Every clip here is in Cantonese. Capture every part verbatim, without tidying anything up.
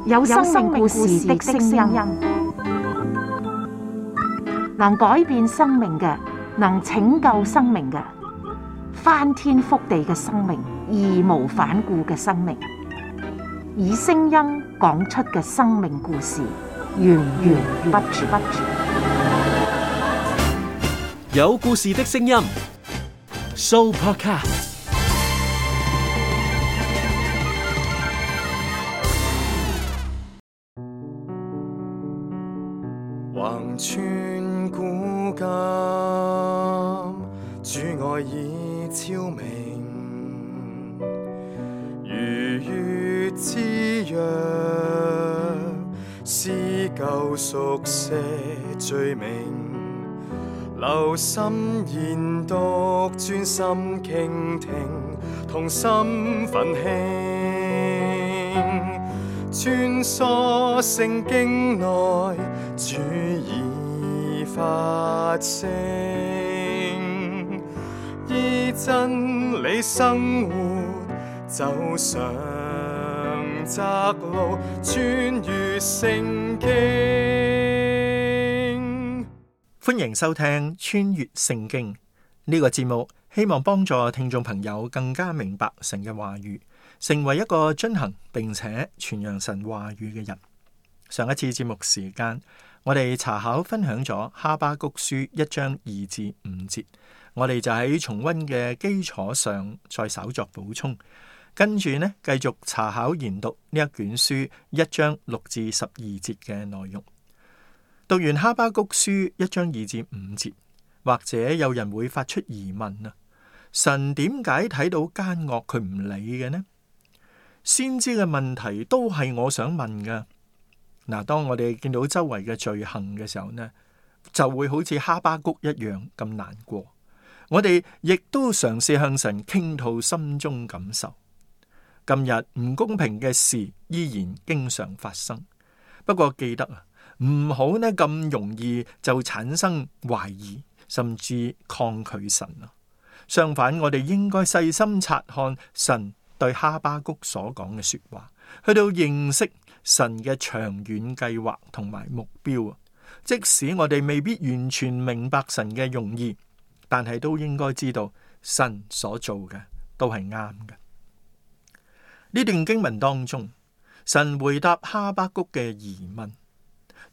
有生命故事的聲音，能改變生命嘅，能拯救生命嘅，翻天覆地嘅生命，義無反顧嘅生命，以聲音講出嘅生命故事，源源不絕。有故事的聲音 ，Sooopodcast。橫穿古今，主愛已超明，如月之約，撕舊熟寫罪名，留心研讀，專心傾聽，同心奮興，穿梭聖經內，主已發聲，依真理生活，走上窄路，穿越聖經。歡迎收聽穿越聖經呢個節目，希望幫助聽眾朋友更加明白神嘅話語，成為一個遵行並且傳揚神話語嘅人。上一次節目時間，我哋查考分享咗哈巴谷書一章二至五節，我哋就喺重溫嘅基礎上再稍作補充，跟住呢繼續查考研讀呢一卷書一章六至十二節嘅內容。讀完哈巴谷書一章二至五節，或者有人會發出疑問啊，神點解睇到奸惡佢唔理嘅呢？先知嘅問題都係我想問噶。嗱，當我哋見到周圍嘅罪行嘅時候呢，就會好似哈巴谷一樣咁難過。我哋亦都嘗試向神傾吐心中感受。今日唔公平嘅事依然經常發生，不過記得啊，唔好呢咁容易就產生懷疑，甚至抗拒神啊。相反，我哋應該細心察看神對哈巴谷所講嘅說話，去到認識神嘅長遠計劃同埋目標啊。即使我哋未必完全明白神嘅用意，但係都應該知道神所做嘅都係啱嘅。呢段經文當中，神回答哈巴谷嘅疑問，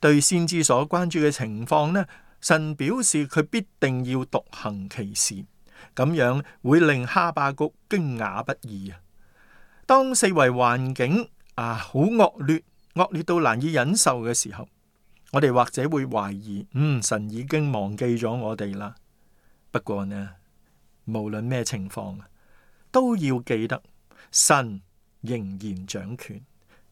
對先知所關注嘅情況呢，神表示佢必定要獨行其事，咁樣會令哈巴谷驚訝不已啊。當四圍環境啊好惡劣，惡劣到難以忍受嘅時候，我哋或者會懷疑，嗯，神已經忘記咗我哋啦。不過呢，無論咩情況，都要記得神仍然掌權，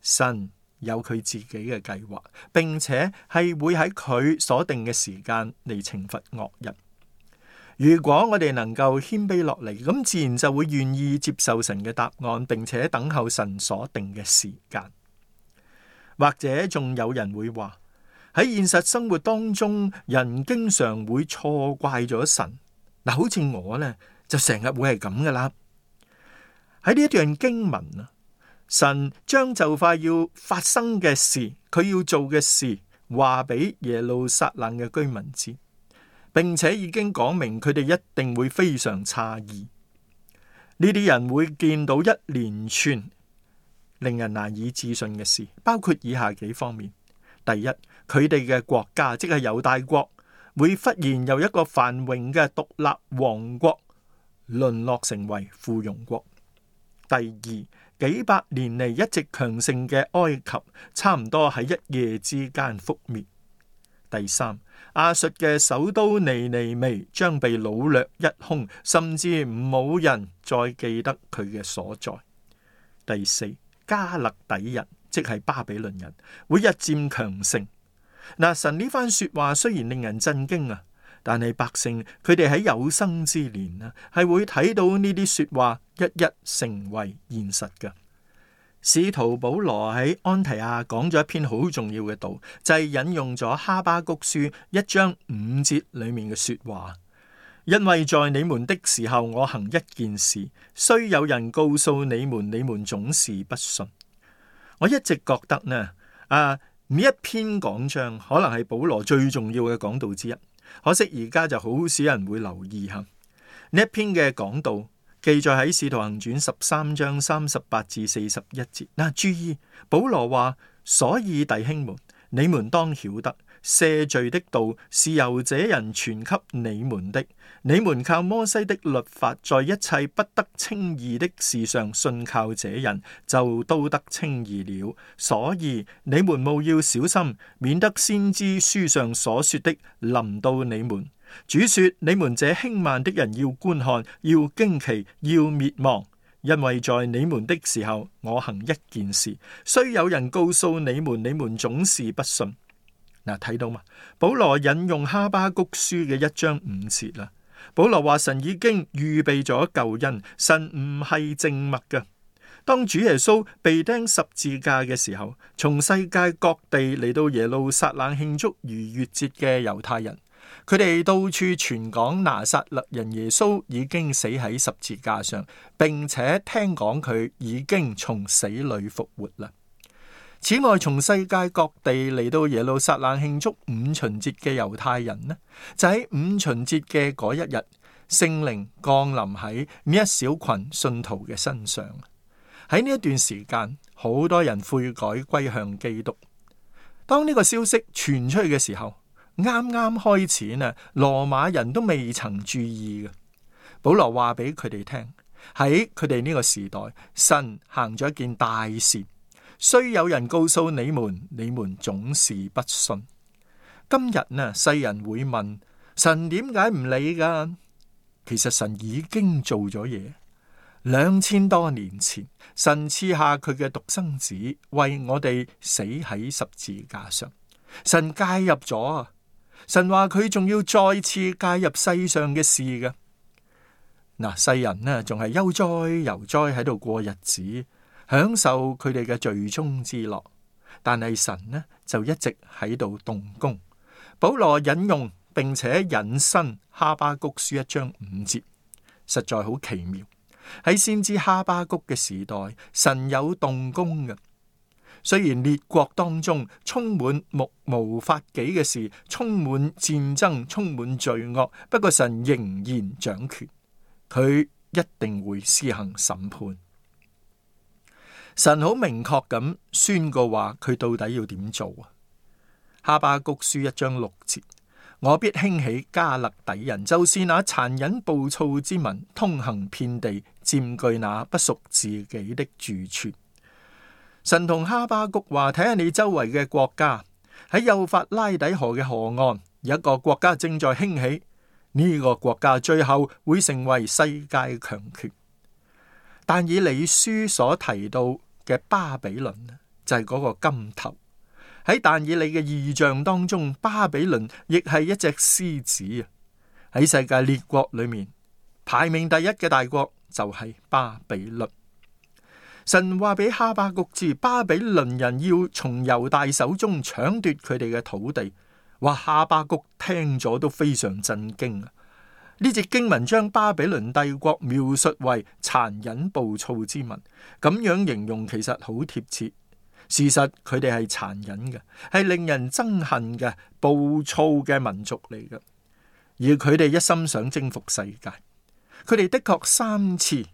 神有佢自己嘅計劃，並且係會喺佢所定嘅時間嚟懲罰惡人。如果我哋能夠謙卑落嚟，咁自然就會願意接受神嘅答案，並且等候神所定嘅時間。或者仲有人會話，喺現實生活當中，人經常會錯怪咗神。嗱，好似我呢，就成日會係咁噶啦。喺呢一段經文啊，神將就快要發生嘅事，佢要做嘅事，話俾耶路撒冷嘅居民知，並且已經講明佢哋一定會非常詫異。呢啲人會見到一連串令人難以置信嘅事，包括以下幾方面。第一，佢哋嘅國家，即係猶大國，會忽然由一個繁榮嘅獨立王國淪落成為附庸國。第二，幾百年嚟一直強盛嘅埃及，差唔多喺一夜之間覆滅。第三，亞述嘅首都尼尼微將被擄掠一空，甚至冇人再記得佢嘅所在。第四，加勒底人，即係巴比倫人，會日漸強盛。嗱，神呢番說話雖然令人震驚啊，但係百姓佢哋喺有生之年啊，係會睇到呢啲說話一一成為現實嘅。使徒保羅喺安提亞講咗一篇好重要嘅道，就係引用咗哈巴谷書一章五節裏面嘅說話。因為在你們的時候，我行一件事，雖有人告訴你們，你們總是不信。我一直覺得呢，啊呢一篇講章可能係保羅最重要嘅講道之一，可惜而家就好少人會留意下呢一篇嘅講道，記載喺《使徒行傳》十三章三十八至四十一節。嗱、啊，注意保羅話：所以弟兄們，你們當曉得，赦罪的道是由這人傳給你們的。你們靠摩西的律法，在一切不得稱義的事上信靠這人，就都得稱義了。所以你們務要小心，免得先知書上所說的臨到你們。主說：你們這輕慢的人要觀看，要驚奇，要滅亡。因為在你們的時候，我行一件事，雖有人告訴你們，你們總是不信。嗱，睇到嘛？保羅引用哈巴谷書嘅一章五節啦。保羅話神已經預備咗救恩，神唔係靜默嘅。當主耶穌被釘十字架嘅時候，從世界各地嚟到耶路撒冷慶祝逾越節嘅猶太人，佢哋到處傳講拿撒勒人耶穌已經死喺十字架上，並且聽講佢已經從死裏復活啦。此外，從世界各地嚟到耶路撒冷慶祝五旬節嘅猶太人呢，就喺五旬節嘅嗰一日，聖靈降臨喺呢一小群信徒嘅身上。喺呢一段時間，好多人悔改歸向基督。當呢個消息傳出去嘅時候，啱啱開始呢，羅馬人都未曾注意嘅。保羅話俾佢哋聽，喺佢哋呢個時代，神行咗一件大事。雖有人告訴你們，你們總是不信。今日呢，世人會問神點解唔理噶？其實神已經做咗嘢。兩千多年前，神賜下佢嘅獨生子，為我哋死喺十字架上。神介入咗啊！神話佢仲要再次介入世上嘅事嘅。嗱，世人呢仲係悠哉悠哉喺度過日子，享受佢哋嘅罪中之樂，但係神呢就一直喺度動工。保羅引用並且引申哈巴谷書一章五節，實在好奇妙。喺先知哈巴谷嘅時代，神有動工嘅。雖然列國當中充滿目無法紀嘅事，充滿戰爭，充滿罪惡，不過神仍然掌權，佢一定會施行審判。神好明確咁宣告話佢到底要點做啊？哈巴谷書一章六節，我必興起加勒底人，就是那殘忍暴躁之民，通行遍地，佔據那不屬自己的住處。神同哈巴谷話：睇下你周圍嘅國家，喺幼發拉底河嘅河岸，有一個國家正在興起，呢、這個國家最後會成為世界強權。但以理書所提到嘅巴比倫就係嗰個金頭。喺但以理嘅異象當中，巴比倫亦係一隻獅子啊！喺世界列國裏面，排名第一嘅大國就係巴比倫。神話俾哈巴谷知，巴比倫人要從猶大手中搶奪佢哋嘅土地。哇！哈巴谷聽咗都非常震驚啊！呢節經文將巴比倫帝國描述為殘忍暴躁之民，咁樣形容其實好貼切。事實佢哋係殘忍嘅，係令人憎恨嘅暴躁嘅民族嚟嘅，而佢哋一心想征服世界。佢哋的確三次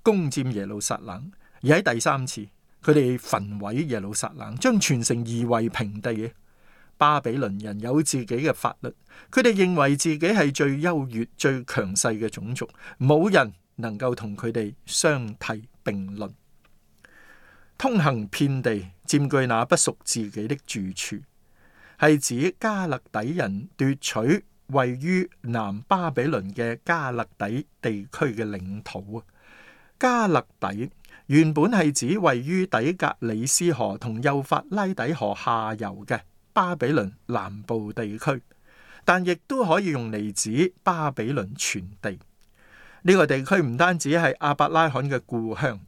攻佔耶路撒冷，而喺第三次，佢哋焚毀耶路撒冷，將全城夷為平地。巴比倫人有自己嘅法律，佢哋認為自己係最優越、最強勢嘅種族，冇人能夠同佢哋相提並論。通行遍地，佔據那不屬自己的住處，係指加勒底人奪取位於南巴比倫嘅加勒底地區嘅領土啊！加勒底原本係指位於底格里斯河同幼發拉底河下游嘅巴比倫南部地區，但亦都可以用嚟指巴比倫全地。呢、這個地區唔單止係亞伯拉罕嘅故鄉，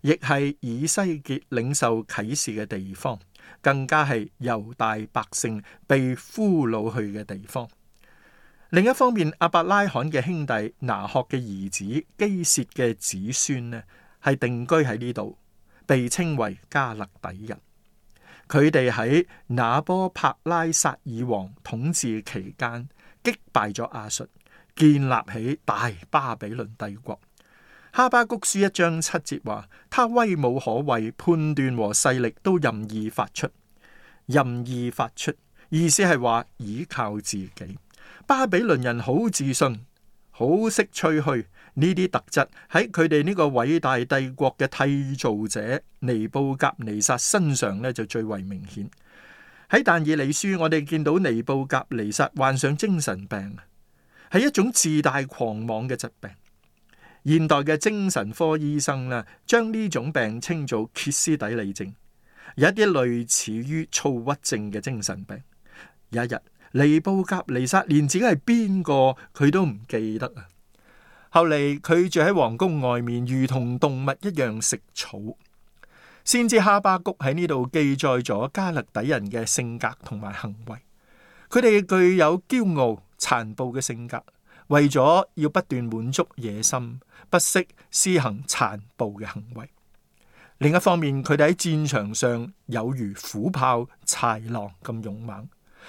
亦係以西結領受啟示嘅地方，更加係猶大百姓被俘虜去嘅地方。另一方面，亞伯拉罕嘅兄弟拿鶴嘅兒子基薛嘅子孫呢，係定居喺呢度，被稱為加勒底人。佢哋喺那波帕拉撒爾王統治期間擊敗咗亞述，建立起大巴比倫帝國。哈巴谷書一章七節話：他威武可畏，判斷和勢力都任意發出。任意發出，意思係話倚靠自己。巴比倫人好自信，好識吹噓。呢啲特質喺佢哋呢個偉大帝國嘅締造者尼布甲尼撒身上呢，就最為明顯。喺但以理書，我哋見到尼布甲尼撒患上精神病，係一種自大狂妄嘅疾病。現代嘅精神科醫生呢，將呢種病稱做歇斯底里症，有一啲類似於躁鬱症嘅精神病。有一日，尼布甲尼撒連自己係邊個佢都唔記得啊！後嚟佢住喺皇宮外面，如同動物一樣食草。先知哈巴谷喺呢度記載咗加勒底人嘅性格同埋行為。佢哋具有驕傲殘暴嘅性格，為咗要不斷滿足野心，不惜施行殘暴嘅行為。另一方面，佢哋喺戰場上有如虎豹豺狼咁勇猛，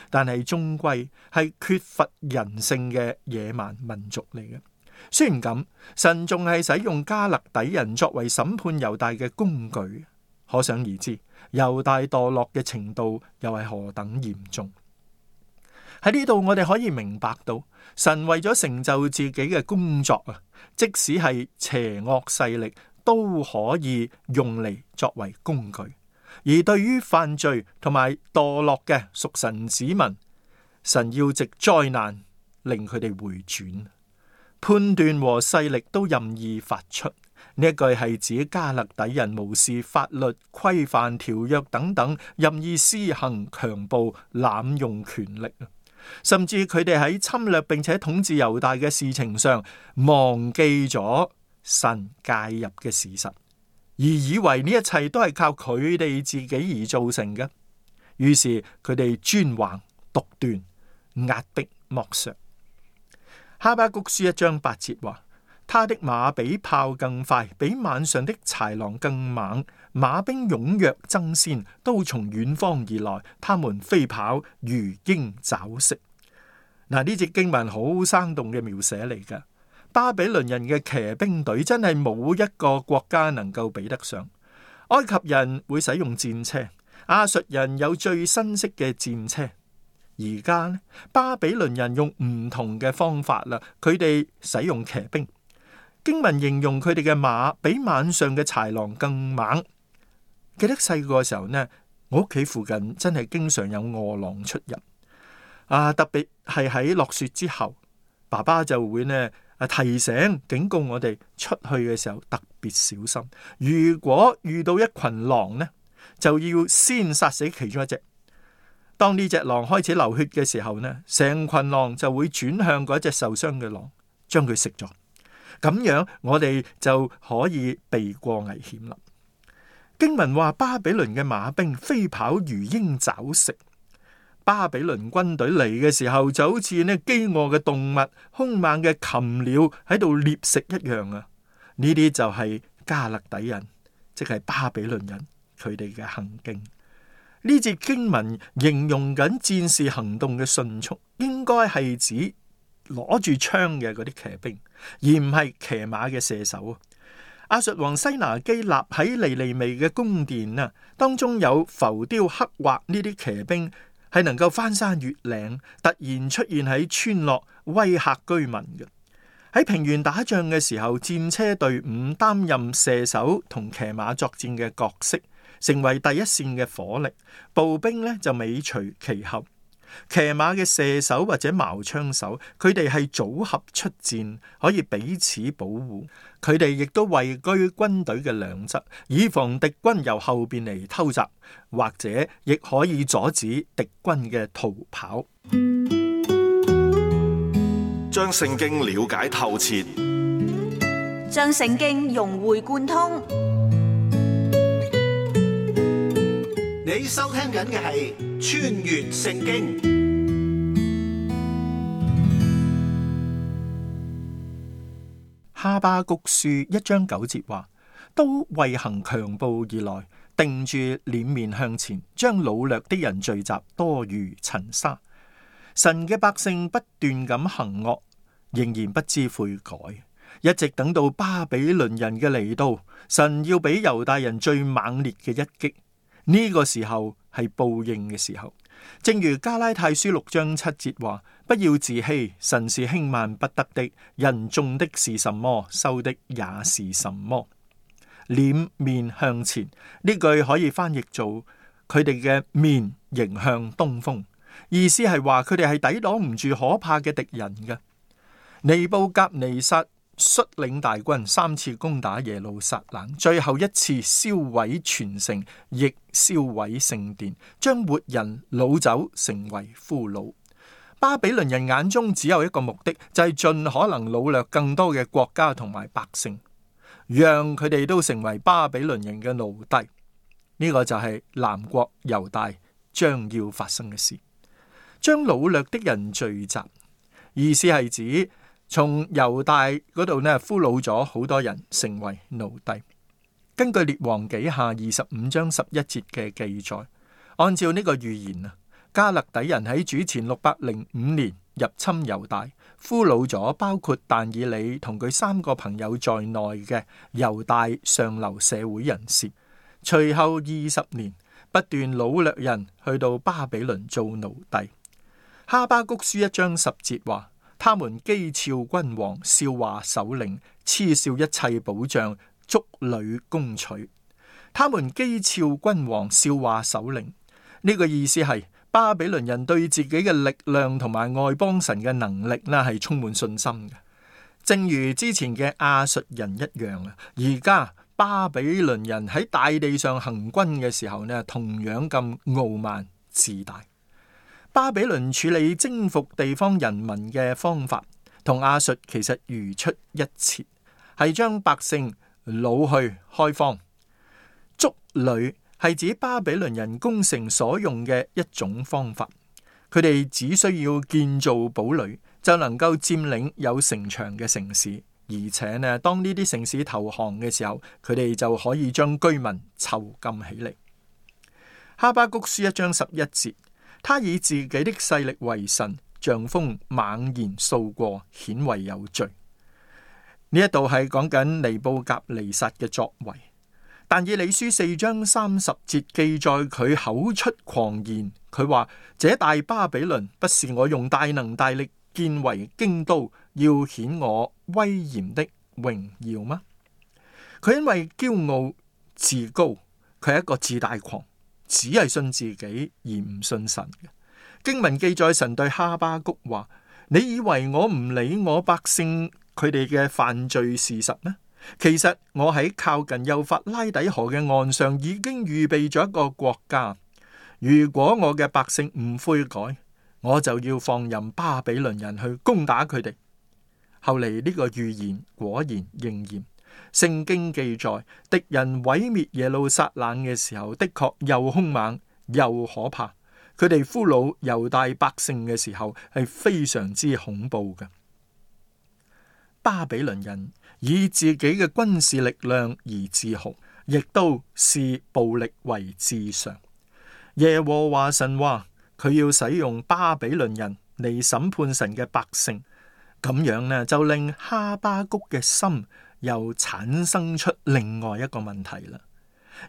但係終歸係缺乏人性嘅野蠻民族嚟嘅。雖然咁，神仲係使用加勒底人作為審判猶大嘅工具，可想而知猶大墮落嘅程度又係何等嚴重。喺呢度我哋可以明白到，神為咗成就自己嘅工作啊，即使係邪惡勢力都可以用嚟作為工具。而對於犯罪同埋墮落嘅屬神子民，神要藉災難令佢哋回轉。判斷和勢力都任意發出，呢一句係指加勒底人無視法律規範條約等等，任意施行強暴、濫用權力，甚至佢哋喺侵略並且統治猶大嘅事情上忘記咗神介入嘅事實，而以為呢一切都係靠佢哋自己而造成嘅。於是佢哋專橫獨斷、壓迫剝削。哈巴谷書一章八節話：他的馬比炮更快，比晚上的豺狼更猛，馬兵踴躍爭先，都從遠方而來，他們飛跑如鷹抓食。嗱，呢節經文好生動嘅描寫嚟㗎。巴比倫人嘅騎兵隊真係冇一個國家能夠比得上。埃及人會使用戰車，亞述人有最新式嘅戰車。而家呢，巴比倫人用唔同嘅方法啦，佢哋使用騎兵。經文形容佢哋嘅馬比晚上嘅豺狼更猛。記得細個嘅時候呢，我屋企附近真係經常有餓狼出入啊，特別係喺落雪之後，爸爸就會呢啊提醒警告我哋出去嘅時候特別小心。如果遇到一群狼呢，就要先殺死其中一隻。當呢隻狼開始流血嘅時候呢，成群狼就會轉向嗰隻受傷嘅狼，將佢食咗。咁樣我哋就可以避過危險啦。經文話巴比倫嘅馬兵飛跑如鷹抓食。巴比倫軍隊嚟嘅時候就好似呢飢餓嘅動物、兇猛嘅禽鳥喺度獵食一樣啊！呢啲就係加勒底人，即係巴比倫人佢哋嘅行徑。呢節經文形容緊戰士行動嘅迅速，應該係指攞住槍嘅嗰啲騎兵，而唔係騎馬嘅射手。亞述王西拿基立喺尼尼微嘅宮殿啊，當中有浮雕刻畫呢啲騎兵係能夠翻山越嶺，突然出現喺村落威嚇居民嘅。喺平原打仗嘅時候，戰車隊伍擔任射手同騎馬作戰嘅角色，成為第一線嘅火力，步兵呢就尾隨其後。騎馬嘅射手或者矛槍手，佢哋係組合出戰，可以彼此保護。佢哋亦都位居軍隊嘅兩側，以防敵軍由後邊嚟偷襲，或者亦可以阻止敵軍嘅逃跑。將聖經了解透徹，將聖經融會貫通。你收聽緊嘅係穿越聖經。哈巴谷書一章九節話：都為行強暴而來，定住臉面向前，將擄掠的人聚集，多如塵沙。神嘅百姓不斷咁行惡，仍然不知悔改，一直等到巴比倫人嘅嚟到，神要俾猶大人最猛烈嘅一擊。呢、這個時候係報應嘅時候。正如加拉太書六章七節話：不要自欺，神是輕慢不得的，人種的是什麼，收的也是什麼。臉面向前呢句可以翻譯做佢哋嘅面迎向東風，意思係話佢哋係抵擋唔住可怕嘅敵人嘅。尼布甲尼撒率領大軍三次攻打耶路撒冷，最後一次燒毀全城，亦燒毀聖殿，將活人擄走成為俘虜。巴比倫人眼中只有一個目的，就係盡可能擄掠更多嘅國家同埋百姓，讓佢哋都成為巴比倫人嘅奴隸。呢個就係南國猶大將要發生嘅事。將擄掠的人聚集，意思係指從猶大嗰度呢俘虜咗好多人成為奴隸。根據列王紀下二十五章十一節嘅記載，按照呢個預言啊，加勒底人喺主前六百零五年入侵猶大，俘虜咗包括但以理同佢三個朋友在內嘅猶大上流社會人士。隨後二十年，不斷擄掠人去到巴比倫做奴隸。哈巴谷書一章十節話：他們譏誚君王，笑話首領，嗤笑一切保障，築壘攻取。他們譏誚君王，笑話首領。呢、這個意思係巴比倫人對自己嘅力量同埋外邦神嘅能力呢係充滿信心嘅，正如之前嘅亞述人一樣啊。而家巴比倫人喺大地上行軍嘅時候呢，同樣咁傲慢自大。巴比倫處理征服地方人民嘅方法同亞述其實如出一轍，係將百姓擄去開荒。築壘係指巴比倫人攻城所用嘅一種方法，佢哋只需要建造堡壘就能夠佔領有城牆嘅城市，而且呢，當呢啲城市投降嘅時候，佢哋就可以將居民囚禁起嚟。哈巴谷書一章十一節。他以自己的勢力為神，像風猛然掃過，顯為有罪。呢一度係講緊尼布甲尼撒嘅作為。但以理書四章三十節記載佢口出狂言，佢話：這大巴比倫不是我用大能大力建為京都，要顯我威嚴的榮耀嗎？佢因為驕傲自高，佢係一個自大狂。只係信自己而唔信神嘅。經文記載神對哈巴谷話：你以為我唔理我百姓佢哋嘅犯罪事實咩？其實我喺靠近幼發拉底河嘅岸上已經預備咗一個國家。如果我嘅百姓唔悔改，我就要放任巴比倫人去攻打佢哋。後嚟呢個預言果然應驗。聖經記載，敵人毀滅耶路撒冷嘅時候，的確又兇猛又可怕。佢哋俘虜猶大百姓嘅時候，係非常之恐怖嘅。巴比倫人以自己嘅軍事力量而自豪，亦都視暴力為至上。耶和華神話，佢要使用巴比倫人嚟審判神嘅百姓，咁樣呢就令哈巴谷嘅心又產生出另外一個問題啦。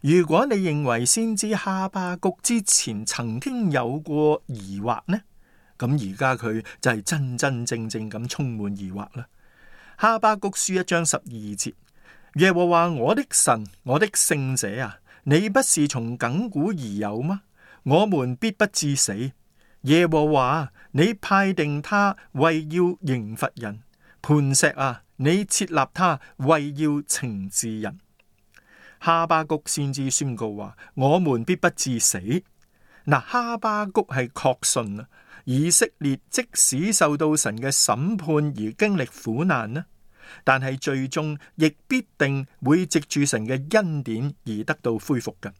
如果你認為先知哈巴谷之前曾經有過疑惑呢，咁而家佢就係真真正正咁充滿疑惑啦。哈巴谷書一章十二節，耶和華我的神，我的聖者啊，你不是從亙古而有嗎？我們必不致死。耶和華，你派定他為要刑罰人，磐石啊，你設立他為要懲治人。哈巴谷先知宣告話：我們必不致死。嗱，哈巴谷係確信啊，以色列即使受到神嘅審判而經歷苦難呢，但係最終亦必定會藉住神嘅恩典而得到恢復嘅。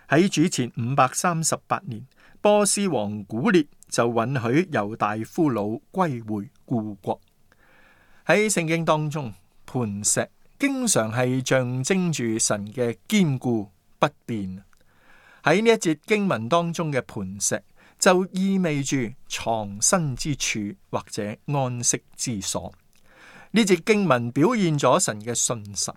喺主前五百三十八年，波斯王古列就允許猶大俘虜歸回故國。喺聖經當中，磐石經常係象徵住神嘅堅固不變。喺呢一節經文當中嘅磐石，就意味住藏身之處或者安息之所。呢節經文表現咗神嘅信實，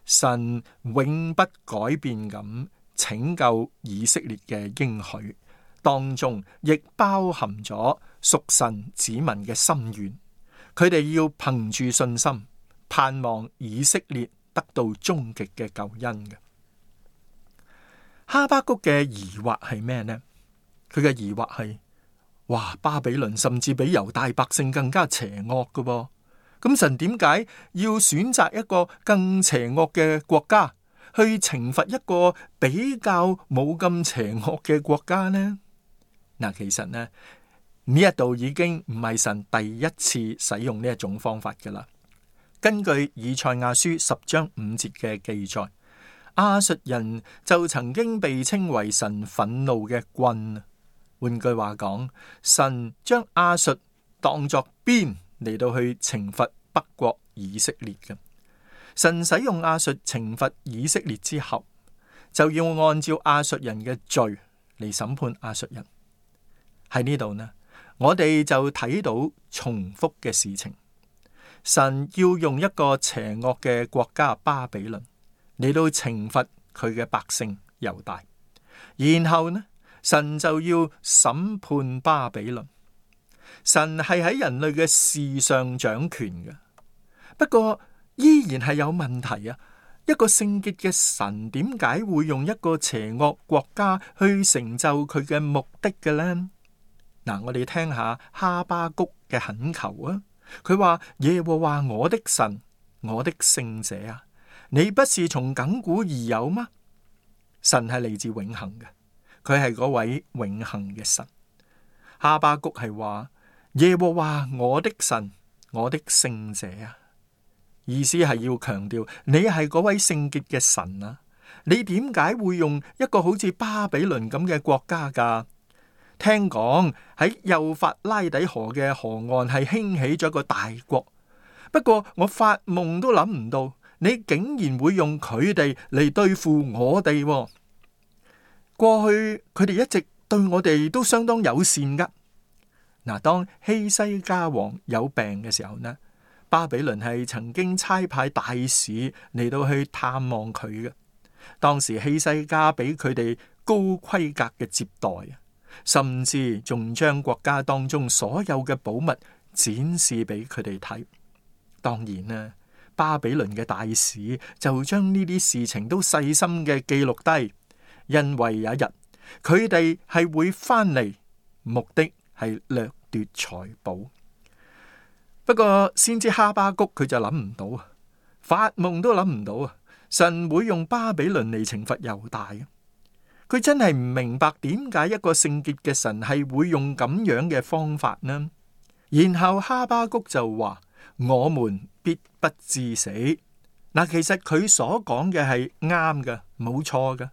神永不改變咁拯救以色列嘅應許，當中亦包含咗屬神子民嘅心願。佢哋要憑住信心，盼望以色列得到終極嘅救恩嘅。哈巴谷嘅疑惑係咩呢？佢嘅疑惑係：哇，巴比倫甚至比猶大百姓更加邪惡㗎噃。咁神點解要選擇一個更邪惡嘅國家去懲罰一個比較冇咁邪惡嘅國家呢？嗱，其實呢呢一度已經唔係神第一次使用呢一種方法噶啦。根據以賽亞書十章五節嘅記載，亞述人就曾經被稱為神憤怒嘅棍。換句話講，神將亞述當作鞭嚟到去懲罰北國以色列嘅。神使用亞述懲罰以色列之後，就要按照亞述人嘅罪嚟審判亞述人。喺呢度呢，我哋就睇到重複嘅事情。神要用一個邪惡嘅國家巴比倫嚟到懲罰佢嘅百姓猶大，然後呢，神就要審判巴比倫。神係喺人類嘅事上掌權嘅，不過依然係有問題啊！一個聖潔嘅神點解會用一個邪惡國家去成就佢嘅目的嘅呢？嗱，我哋聽下哈巴谷嘅懇求啊！佢話：耶和華我的神，我的聖者啊，你不是從亙古而有嗎？神係嚟自永恆嘅，佢係嗰位永恆嘅神。哈巴谷係話：耶和華我的神，我的聖者啊，意思係要強調你係嗰位聖潔嘅神啊！你點解會用一個好似巴比倫咁嘅國家噶？聽講喺幼發拉底河嘅河岸係興起咗一個大國，不過我發夢都諗唔到，你竟然會用佢哋嚟對付我哋。過去佢哋一直對我哋都相當友善噶。嗱，當希西家王有病嘅時候呢，巴比倫係曾經差派大使嚟到去探望佢嘅。當時希西家俾佢哋高規格嘅接待，甚至仲將國家當中所有嘅寶物展示俾佢哋睇。當然啦，巴比倫嘅大使就將呢啲事情都細心嘅記錄低，因為有一日佢哋係會翻嚟，目的係掠奪財寶。不過先知哈巴谷佢就諗唔到啊，發夢都諗唔到啊，神會用巴比倫嚟懲罰猶大。佢真係唔明白點解一個聖潔嘅神係會用咁樣嘅方法呢？然後哈巴谷就話：我們必不致死。嗱，其實佢所講嘅係啱嘅，冇錯嘅。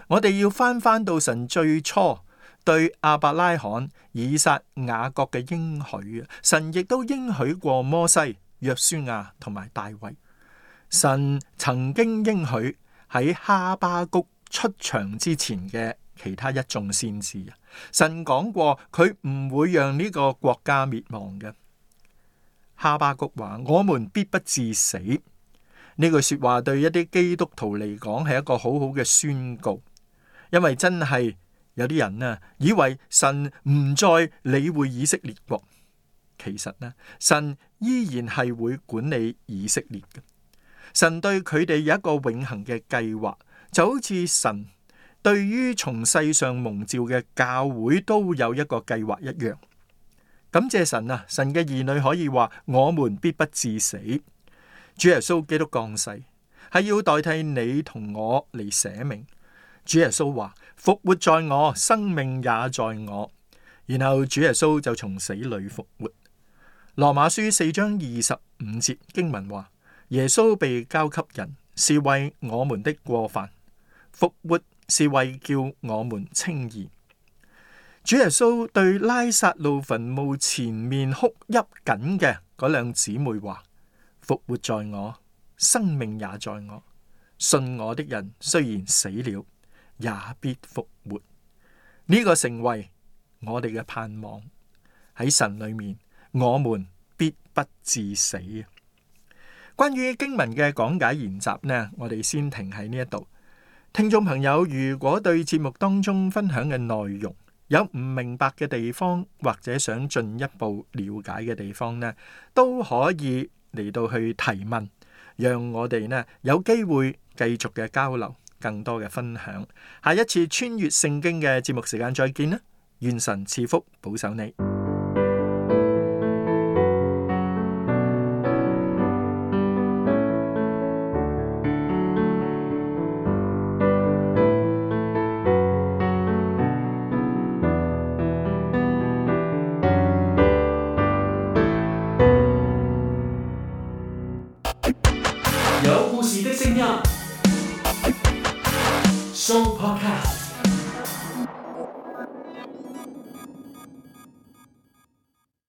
我哋要翻翻到神最初對亞伯拉罕、以撒、雅各嘅應許啊，神亦都應許過摩西、約書亞同埋大衛。神曾經應許喺哈巴谷出場之前嘅其他一眾先知啊，神講過佢唔會讓呢個國家滅亡嘅。哈巴谷話：我們必不致死。呢句說話對一啲基督徒嚟講係一個好好嘅宣告，因為真係有啲人啊以為神唔再理會以色列國，其實呢，神依然係會管理以色列嘅。神對佢哋有一個永恆嘅計劃，就好似神對於從世上蒙召嘅教會都有一個計劃一樣。感謝神啊！神嘅兒女可以話：我們必不致死。主耶穌基督降世係要代替你同我嚟捨命。主耶穌話：復活在我，生命也在我。然後主耶穌就從死裏復活。羅馬書四章二十五節經文話：耶穌被交給人，是為我們的過犯；復活是為叫我們稱義。主耶穌對拉撒路墳墓前面哭泣緊嘅嗰兩姊妹話：復活在我，生命也在我。信我的人雖然死了，也必復活。呢、這個成為我哋嘅盼望。喺神裏面，我們必不致死。關於經文嘅講解研習呢，我哋先停喺呢一度。聽眾朋友，如果對節目當中分享嘅內容有唔明白嘅地方，或者想進一步了解嘅地方呢，都可以嚟到去提問，讓我哋呢有機會繼續嘅交流，更多嘅分享。下一次穿越聖經嘅節目時間再見啦！願神賜福保守你。有故事的聲音，Show Podcast。